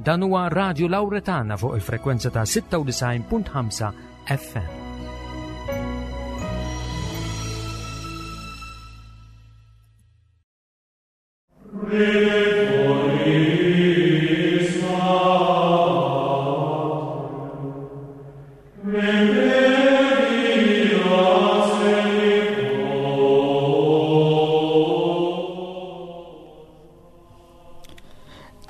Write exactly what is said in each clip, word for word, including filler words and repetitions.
Dan huwa Radio Lauretana fuq il-frekwenza ta' sitta u disgħin punt ħamsa F M.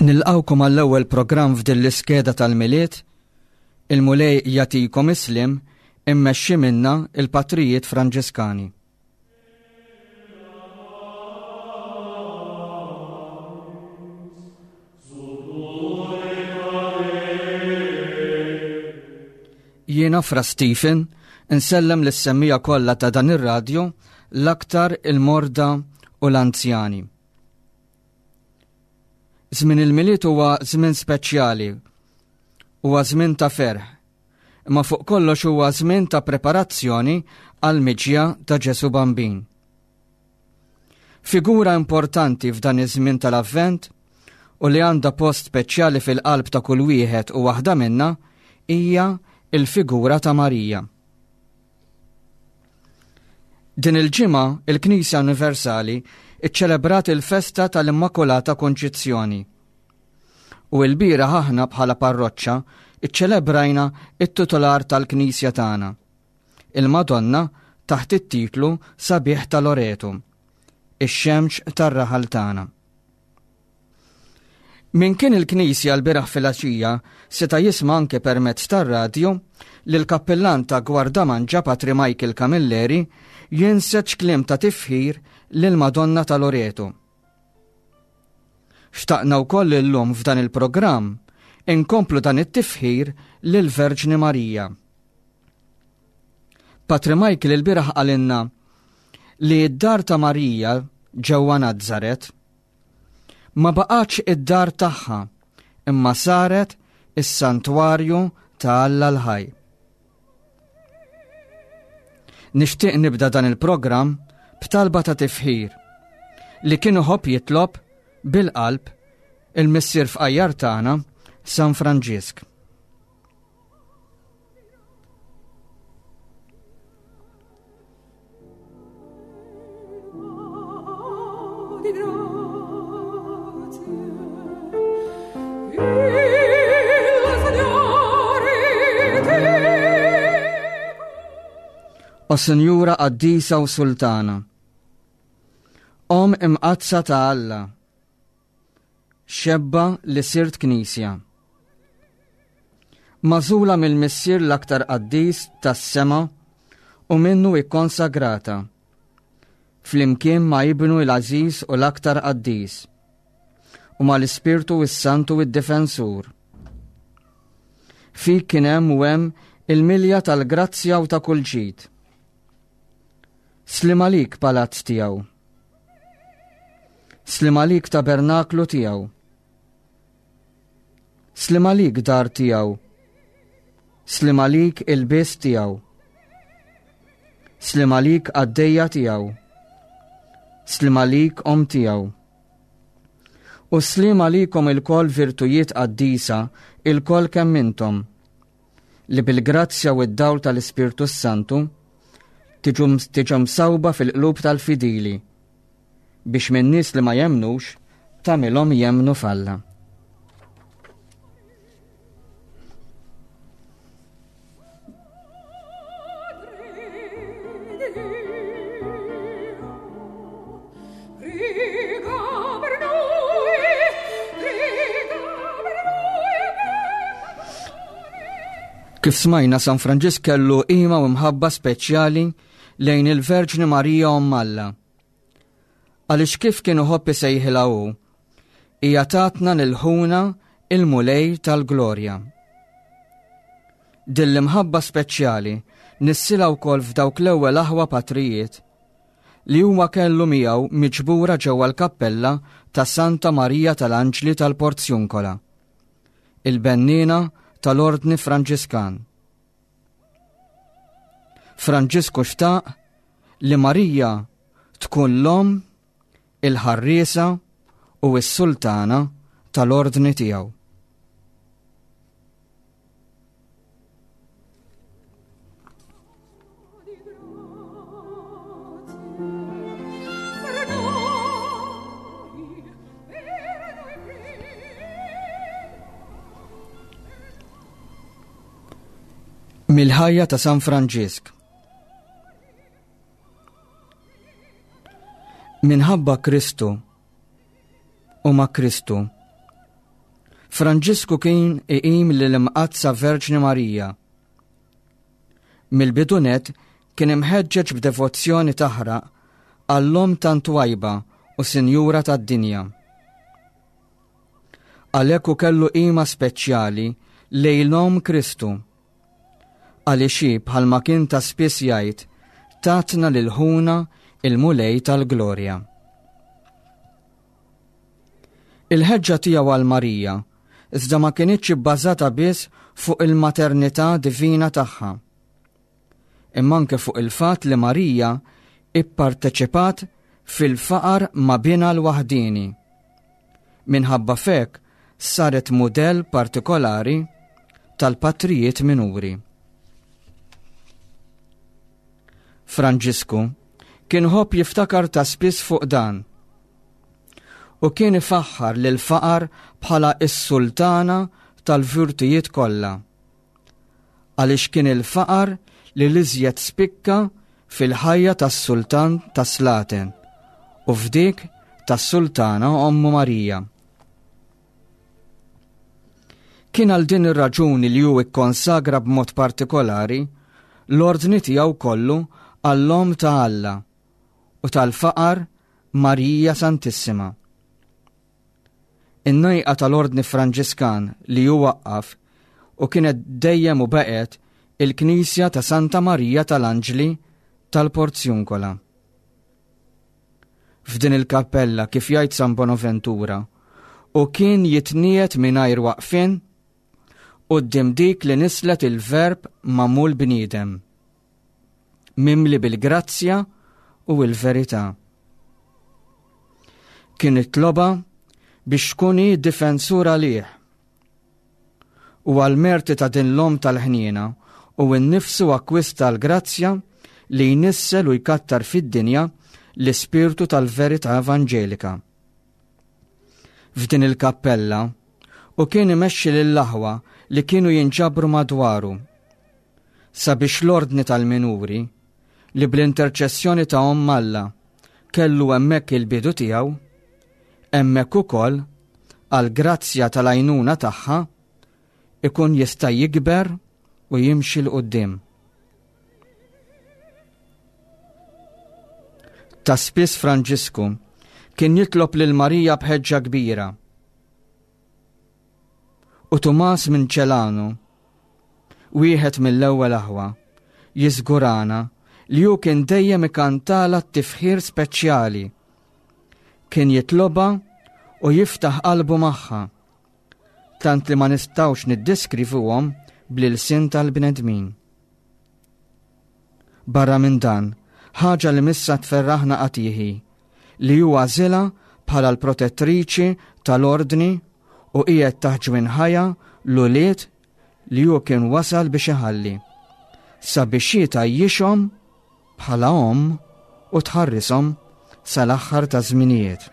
Nilqawkom għall-ewwel programm f'din l-iskeda tal-Milied. Il-Mulej jagħtikom is-sliem, immexxi minna il-Patrijiet Franġiskani. Jiena Fra Stephen, insellem lis-semmiegħa kollha ta' dan ir-radju, l-aktar il-morda u l-anzjani. Żmien il-Milied huwa żmien speċjali, huwa żmien ta' ferħ, imma fuq kollox huwa żmien ta' preparazzjoni għal miġja ta' Ġesu Bambin. Figura importanti f'dan iż-żmien tal-Avvent u li għandha post speċjali fil-qalb ta' kull wieħed u waħda minna hija il-figura ta' Marija. Din il-ġimgħa il-Knisja Universali iċċelebrat il-festa tal-Immakulata Konċizzjoni. U l-bieraħ aħna bħala parroċċa iċċelebrajna it-titular tal-Knisja tagħna, il-Madonna taħt it-titlu sabiħ ta' Loreto, ix-xemx tar-raħal tagħna. Min kien il-Knisja l-bieraħ filgħaxija seta' jisma' anke permezz tar-radju li l-kappillan ta' Gwardamanġa, Patri Michael Camilleri, jinseġ kliem ta' tifħir lil Madonna ta' Loreto. Xtaqna wkoll illum f'dan il-programm inkomplu dan it-tifħir lil Verġni Marija. Patri Michael il-bieraħ qalilna li d-dar ta' Marija ġewwa Nazzaret ma baqgħetx id-dar tagħha, imma saret is-santwarju ta' Alla l-ħaj. Nixtieq nibda dan il-programm b'talba ta' tifħir li kien iħobb jitlob bil-qalb il-missier fqajjar tagħna, San Franġisk. Di grazie. Il Signore ti O Sinjura Qaddisa u Sultana, Omm imqaddsa ta' Alla, xebba li sirt Knisja, magħżula mill-Missier l-aktar qaddis tas-sema u minnu ikkonsagrata, flimkien ma' Ibnu l-Għażiż u l-aktar qaddis, u mal-Ispirtu s-Santu id-Difensur. Fik kien hemm u hemm il-milja tal-grazzja u ta' kull ġid. Sliem għalik, palazz tiegħu. Sliem għalik, tabernaklu tiegħu. Sliem għalik, dar tiegħu. Sliem għalik, ilbies tiegħu. Sliem għalik, qaddejja tiegħu. Sliem għalik, omm tiegħu. U sliem għalikom ilkoll, virtujiet qaddisa, ilkoll kemm intom, li bil-grazzja u d-dawl tal-Ispirtu Santu tiġu tiġu msawba fil-qlub tal-fidili biex minn nies li ma jemnux tagħmilhom jemnu f'Alla. Prega per noi, prega per noi. Kif smajna, San Franġisk kellu qima u mħabba speċjali lejn il-Verġni Marija Omm Alla. Għaliex kif kien iħobb isejħilha hu, hija tatna lil ħuna il-Mulej tal-Glorja. Din l-imħabba speċjali nissilha wkoll f'dawk l-ewwel aħwa patrijiet li huma kellu miegħu miġbura ġewwa l-kappella ta' Santa Marija tal-Anġli tal-Porzjunkola, il-bennina tal-Ordni Franġiskan. Franġisku xtaq li Marija tkun l-omm, il-ħarriesa u s-sultana tal-ordni tiegħu. Mill-ħajja ta' San Franġisk. Minħabba Kristu u ma' Kristu, Franġisku kien iqim lill-Imqaddsa Verġni Marija. Mill-bidu nett kien imħeġġeġ b'devozzjoni taħraq għall-Omm tant twajba u Sinjura tad-dinja. Għalhekk hu kellu qima speċjali lejn l-Omm Kristu. Għaliex hi bħalma kien ta' spiss jgħid, tatna lil ħuna il-Mulej tal-Glorja. Il-ħeġġa tiegħu għal Marija iżda ma kinitx ibbażata biss fuq il-maternità divina tagħha, imma anke fuq il-fatt li Marija ipparteċipat fil-faqar ma' binha l-waħdieni. Minħabba f'hekk saret mudell partikolari tal-patrijiet minuri. Franġisku kien ħobb jiftakar ta' spiss fuq dan u kien ifaħħar lil faqar bħala s-sultana tal-virtujiet kollha, għaliex kien il-faqar li l-iżjed spikka fil-ħajja tas-sultan tas-Slaten u f'dik tas-sultana Ommu Marija. Kien għal din ir-raġuni li hu ikkonsagra b'mod partikolari l-ordni tiegħu kollu għall-Omm ta' Alla u tal-faqar Marija Santissima. In-nejqa tal-Ordni Franġiskan li hu waqqaf u kienet dejjem u baqgħet il-Knisja ta' Santa Marija tal-Anġli tal-Porzjunkola. F'din il-kappella, kif jgħid San Bonaventura, u kien jitniet mingħajr waqfien quddiem dik li nislet il-verb magħmul bniedem, mimli bil-grazzja u l-verità. Kien itloba biex tkun hi difensur għalih u għal-merti ta' din l-Omm tal-ħniena u nnifsu akkwista l-grazzja li jnissel u jkattar fid-dinja l-ispirtu tal-verità evanġelika. F'din il-kappella u kien imexxi lill-aħwa li kienu jinġabru madwaru sabiex l-ordni tal-minuri li bl-interċessjoni ta' Omm Alla kellu hemmhekk il-bidu tiegħu, hemmhekk ukoll għall-grazzja tal-għajnuna tagħha ikun jista' jikber u jimxi 'l quddiem. Ta' spiss Franġisku kien jitlob lil Marija b'ħeġġa kbira. U Tumas minn Ċelanu, wieħed mill-ewwel aħwa, jiżgurana li hu kien dejjem ikantala t-tifħir speċjali. Kien jitloba u jiftaħ qalbu magħha, tant li ma nistgħux niddeskrivuhom bl-ilsien tal-bnedmin. Barra minn dan, ħaġa li missa tferraħna qatiħi, li hu għażilha bħala l-protettriċi tal-ordni u qiegħed taħt ġwinħajja l-ulied li hu kien wasal biex iħalli, sabiex hi tgħajjixhom bħala omm u tħarrishom sal-aħħar ta' żminijiet.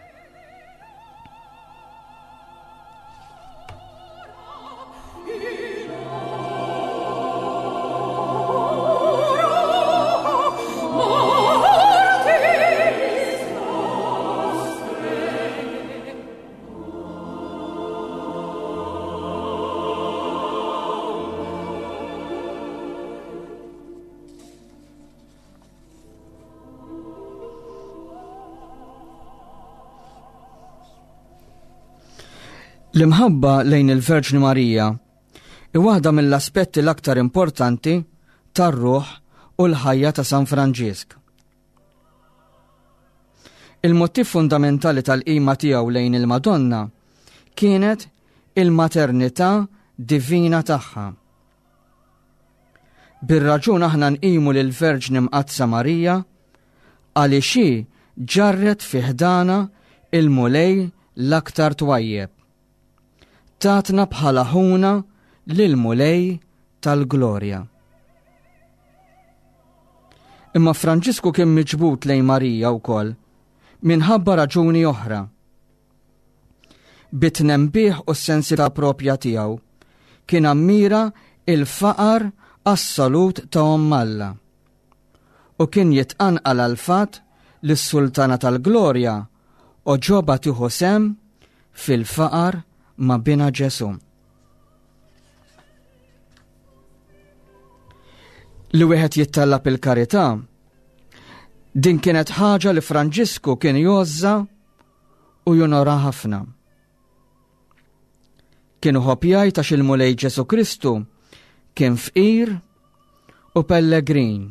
L-imħabba lejn il-Verġni Marija hi waħda mill-aspetti l-aktar importanti tar-ruħ u l-ħajja ta' San Franġisk. Il-mottiv fundamentali tal-qima tiegħu lejn il-Madonna kienet il-maternità divina tagħha. Bir-raġun aħna nqimu lill-Verġni Mqaddsa Marija għaliex hi ġarret fi ħdana il-Mulej l-aktar twajjeb. Tatna bħala ħuna lill-Mulej tal-Glorja. Imma Franġisku kien miġbud lejn Marija wkoll minħabba raġuni oħra. Bit-tnembih u s-sensità propja tiegħu kien ammira il-faqar assolut ta' Omm Alla u kien jitqanqal għall-fatt li s-Sultana tal-Glorja għoġobha tieħu sehem fil-faqar ma' binha Ġesù. Li wieħed jittallab il-karità, din kienet ħaġa li Franġisku kien jgħożżha u jonora ħafna. Kien iħobb jgħid għax il-Mulej Ġesù Kristu kien fqir u pellegrin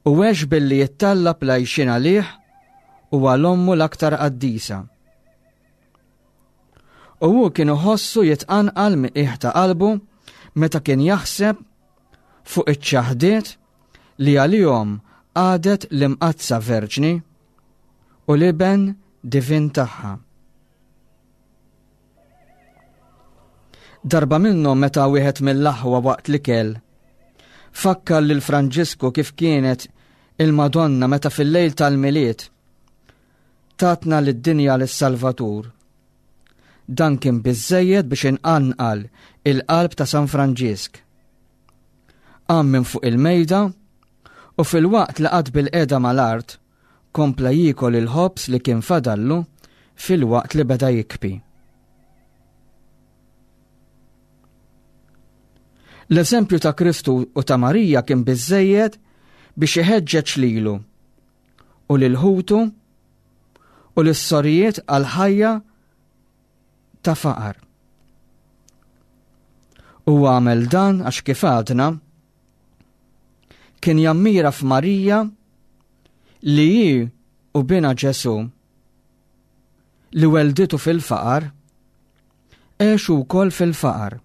u għex billi jittallab l-għajxien għalih u għal ommu l-aktar qaddisa. U hu kien iħossu jitqanqal minn qiegħ ta' qalbu meta kien jaħseb fuq iċ-ċaħdiet li għalihom għadet l-Imqaddsa Verġni u l-Iben divin tagħha. Darba minnhom meta wieħed mill-aħwa waqt l-ikel fakkar lil Franġisku kif kienet il-Madonna meta fil-lejl tal-Milied tatna lid-dinja lis-Salvatur. Dan kien biżżejjed biex inqanqal il-qalb ta' San Franġisk. Qam minn fuq il-mejda u fil-waqt li qagħad bil-qiegħda mal-art kompla jiekol il-ħobż li kien fadallu fil-waqt li beda jikbi. L-eżempju ta' Kristu u ta' Marija kien biżżejjed biex iħeġġeġ lilu u lil ħutu u lis-sorijiet għal ħajja ta' faqar. U għamel dan għax kif għadna kien jammira f'Marija li hi u binha Ġesù li welditu fil-faqar għexu wkoll fil-faqar.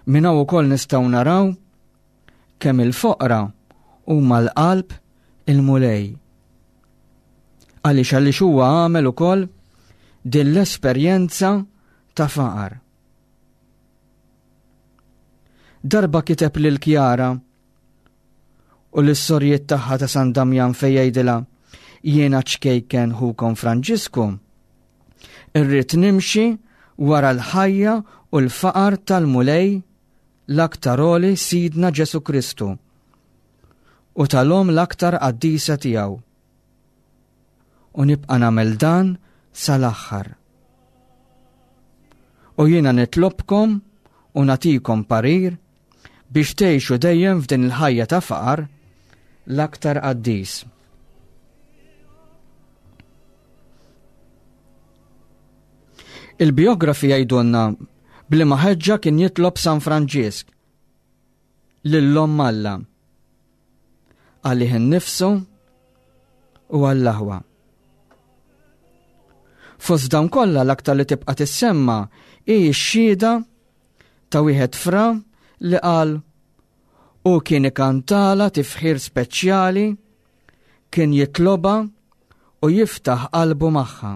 Minn hawn ukoll nistgħu naraw kemm il-foqra huma l-qalb il-Mulej. Għaliex għaliex huwa għamel ukoll din l-esperjenza ta' faqar. Darba kiteb lil Kjara u lis-sorijiet tagħha ta' San Damjan fejn jgħidilha: jiena ċkejken ħukom Franġisku, irrid nimxi wara l-ħajja u l-faqar tal-Mulej l-aktar għoli Sidna Ġesù Kristu u tal-Omm l-aktar qaddisa tiegħu. U nibqa' nagħmel dan sal-aħħar. U jiena nitlobkom u nagħtikom parir biex tgħixu dejjem f'din il-ħajja ta' faqar l-aktar qaddis. Il-biografi jgħidulna b'liema ħeġġa kien jitlob San Franġisk lil-Omm Alla għalih innifsu u għall-aħwa. Fost dawn kollha l-aktar li tibqa' tissemma hi x-xhieda ta' wieħed fra li qal u kien ikantala tifħir speċjali, kien jitloba u jiftaħ qalbu magħha.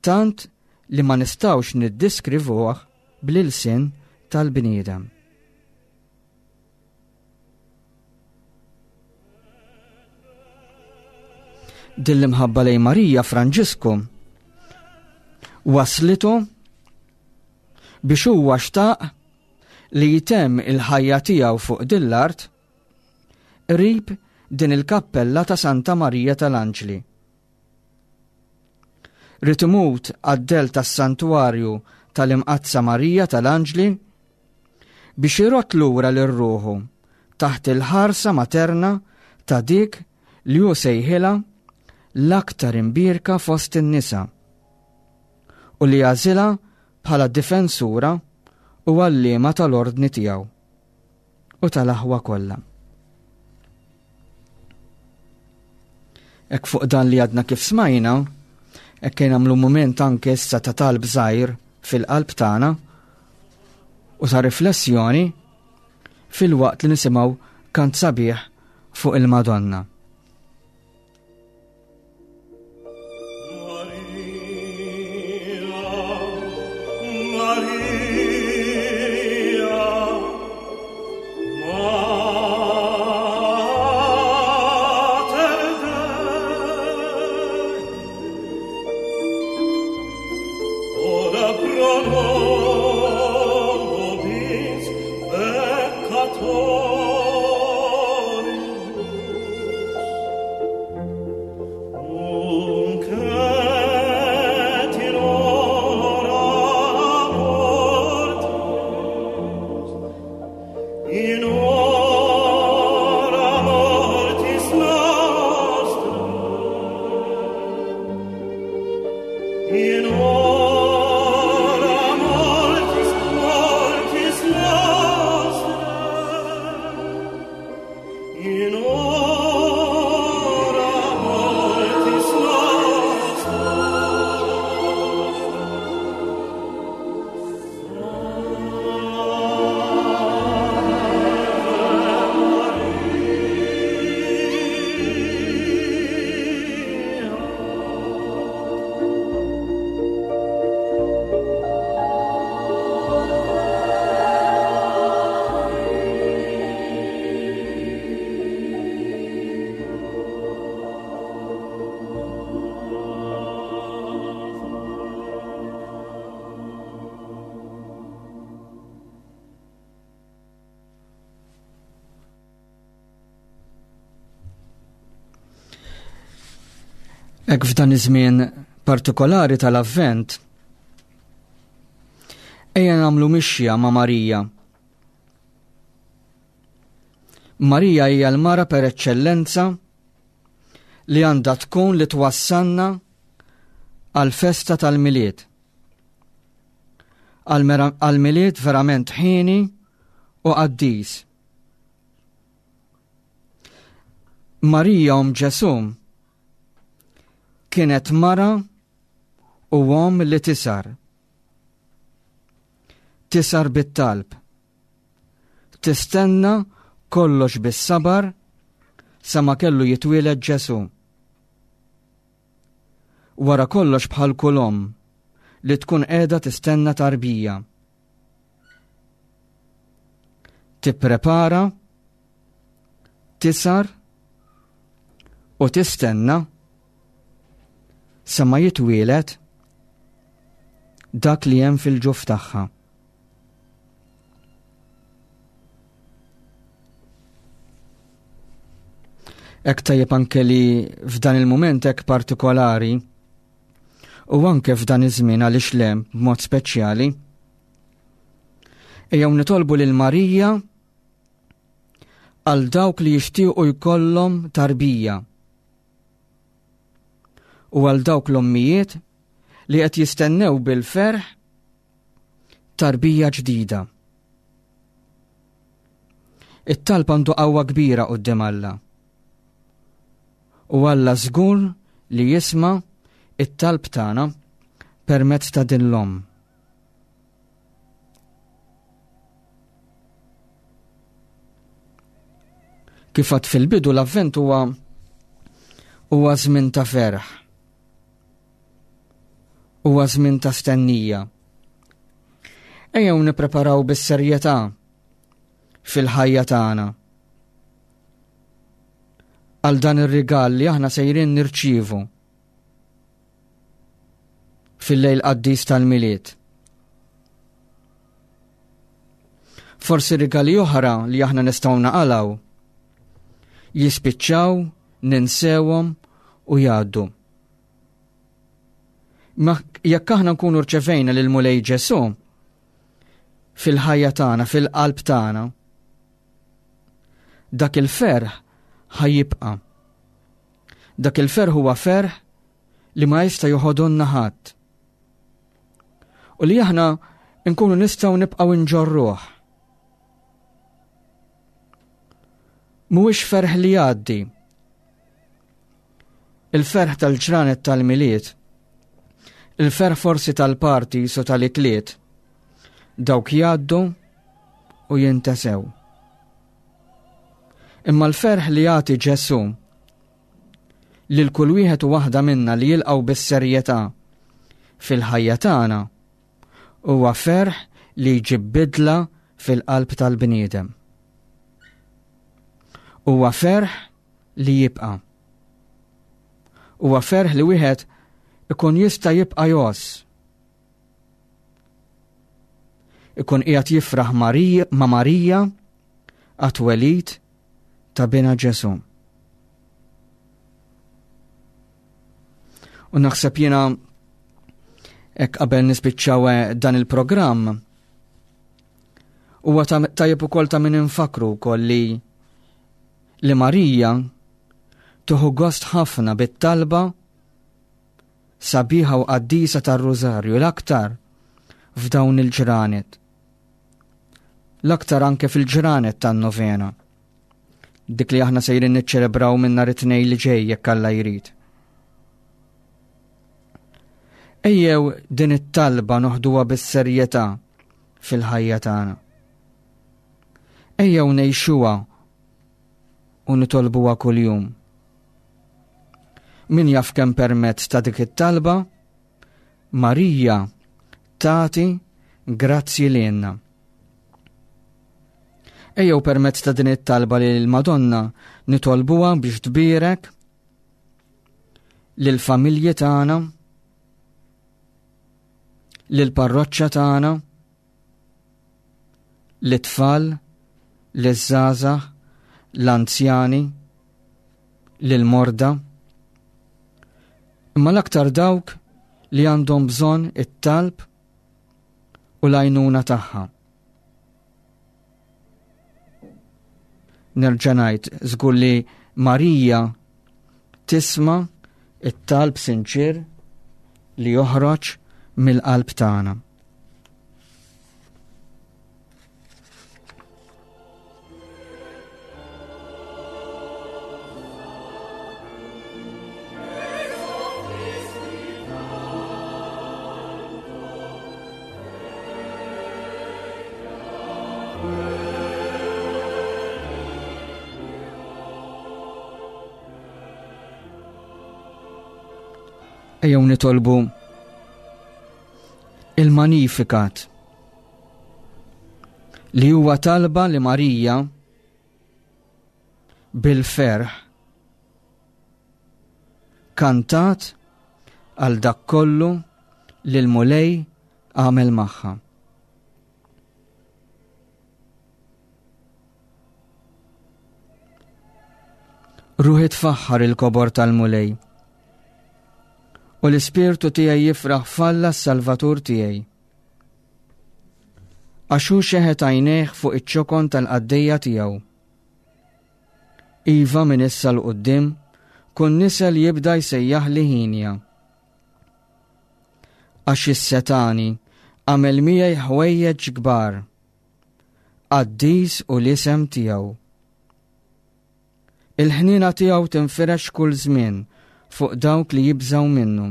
Tant li ma nistgħux niddiskrivuh bl-ilsien tal-bniedem. Din l-imħabba lejn Marija Franġisku waslitu biex huwa xtaq li jtemm il-ħajja tiegħu fuq din l-art qrib din il-kappella ta' Santa Marija tal-Anġli. Ried imut għad-del tas-santwarju tal-Imqaddsa Marija tal-Anġli biex irott lura lil ruħu taħt il-ħarsa materna ta' dik li hu sejħilha l-aktar imbierka fost in-nisa u li għażilha bħala difensura u għalliema tal-ordni tiegħu u tal-aħwa kollha. Hekk fuq dan li għadna kif smajna, hekk kien nagħmlu mument anke issa ta' talb żgħir fil-qalb tagħna u ta' riflessjoni fil-waqt li nisimgħu kant sabiħ fuq il-Madonna. Ora pro nobis. Hekk f'dan iż-żmien partikolari tal-Avvent, ejja nagħmlu mixja ma' Marija. Marija hija l-mara per eċċellenza li għandha tkun li twassalna għall-festa tal-Milied. Għall-Milied verament ħieni u qaddis. Marija omm Ġesù kienet mara u omm li tisar. Tisar bit-talb. Tistenna kollox bis-sabar sa ma kellu jitwieled Ġesù. Wara kollox bħal kull omm li tkun qiegħda tistenna tarbija. Tipprepara, tisar u tistenna sa ma jitwieled dak li hemm fil-ġuf tagħha. Hekk tajjeb anke li f'dan il-mument hekk partikolari u anke f'dan iż-żmien għaliex le b'mod speċjali, ejjew nitolbu lil Marija għal dawk li jixtiequ jkollhom tarbija u għal dawk l-ommijiet li qed jistennew bil-ferħ tarbija ġdida. It-talb għandu qawwa kbira quddiem Alla. U Alla żgur li jisma' it-talb tagħna permezz ta' din l-omm. Kif għad fil-bidu l-Avvent huwa huwa żmien ta' ferħ. Huwa żmien ta' stennija. Ejjew nippreparaw bis-serjetà fil-ħajja tagħna għal dan ir-rigal li aħna sejrin nirċievu fil-lejl qaddis tal-Milied. Forsi rigali oħra li aħna nistgħu naqalgħu jispiċċaw, ninsewhom u jgħaddu. Ma jekk aħna nkunu rċevejna lil Mulej Ġesù fil-ħajja tagħna, fil-qalb tagħna, dak il-ferħ ħajjibqa'. Dak il-ferħ huwa ferħ li ma jista' joħodulna ħadd. U li aħna nkunu nistgħu nibqgħu nġorruh. Mhuwiex ferħ li jgħaddi. Il-ferħ tal-ġranet tal-Milied, il-ferħ forsi tal-parties u tal-ikliet, dawk jgħaddu u jintesew. Imma l-ferħ li jagħti Ġesù lil kull wieħed u waħda minna li jilqgħu bis-serjetà fil-ħajja tagħna huwa ferħ li jġib bidla fil-qalb tal-bniedem. Huwa ferħ li jibqa'. Huwa ferħ li wieħed ikun jista' jibqa' jgħożż. Ikun qiegħed jifraħ Marija, ma' Marija għat-twelid ta' bina Ġesù. U naħseb jiena hekk qabel nispiċċaw dan il-programm, huwa tajjeb ukoll ta' min infakru wkoll li li Marija tuħu gost ħafna bit-talba sabiħa u qaddisa tar-Rużarju, l-aktar f'dawn il-ġranet. L-aktar anke fil-ġranet tan-novena, dik li aħna sejrin niċċelebraw minn nhar it-Tnejn li ġej jekk Alla jrid. Ejjew din it-talba noħduha bis-serjetà fil-ħajja tagħna. Ejjew ngħixuha u nitolbuha kuljum. Min jaf kemm permezz ta' dik it-talba Marija tagħti grazzi lilna. Ejjew permezz ta' din it-talba lil Madonna nitolbuha biex tbierek lill-familji tagħna, lill-parroċċa tagħna, lit-tfal, liż-żgħażagħ, l-anzjani, lill-morda, Imma l-aktar dawk li għandhom bżonn it-talb u l-għajnuna tagħha. Nerġa' ngħid żgur li Marija tisma' it-talb sinċir li joħroġ mill-qalb tagħna. Ejjew nitolbu il-Magnificat, li huwa talba li Marija bil-ferħ kantat għal dak kollu li l-Mulej għamel magħha. Ruħi tfaħħar il-kobor tal-Mulej, u l-ispirtu tiegħi jifraħ f'Alla s-Salvatur tiegħi. Għax hu xeħet għajnejh fuq iċ-ċokon tal-qaddejja tiegħu. Iva minn issa 'l quddiem kull nisel jibda jsejjaħ li ħinja. Għax is-setani għamel miegħi ħwejjeġ kbar, qaddis u l-isem tiegħu. Il-ħniena tiegħu tinfirex kull żmien fuq dawk li jibżgħu minnu.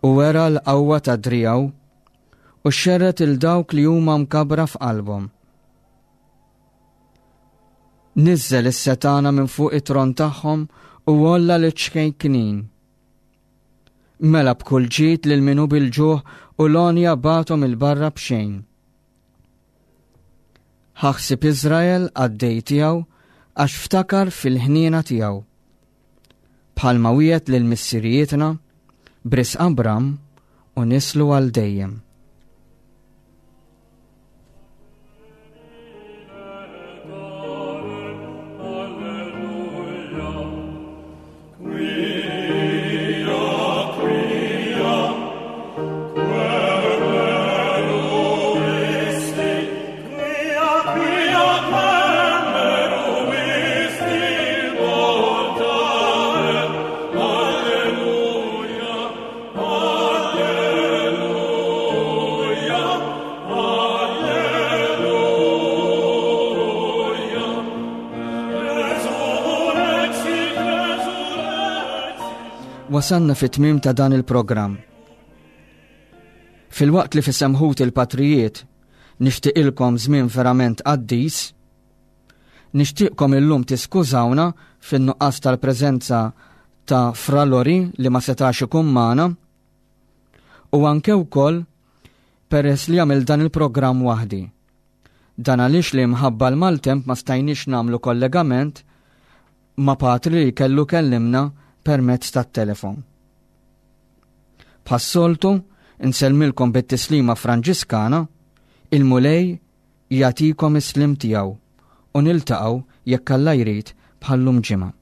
U wera l-qawwa ta' driegħu u xerret il dawk li huma mkabra f'qalbhom. Niżżel is-setana minn fuq it-tron tagħhom u għolla l-ċkejknin. Mela b'kull ġid lil min hu bil-ġuħ u l-għonja bagħthom il-barra b'xejn. Ħaħsib Iżrael għaddej tiegħu għax ftakar fil-ħniena tiegħu. Bħalma wiegħed lil missirijietna b'risq Abram u nislu għal dejjem. Wasanna fit-tmiem ta' dan il-programm. Filwaqt li f'isem ħut il-patrijiet nixtieqilkom żmien verament qaddis, nixtieqkom illum tiskużawna fin-nuqqas tal-preżenza ta' Fra Lori li ma setax ikun magħna, u anke wkoll peress li għamil dan il-programm waħdi. Dan għaliex li mħabba l-maltemp ma stajniex nagħmlu kollegament ma' patri li kellu kellimna permezz tat-telefon. Bħas-soltu, insellmilkom bit-tislima Franġiskana, il-Mulej jagħtikom is-slim tiegħu u niltaqgħu jekk Alla jrid bħallum ġimgħa.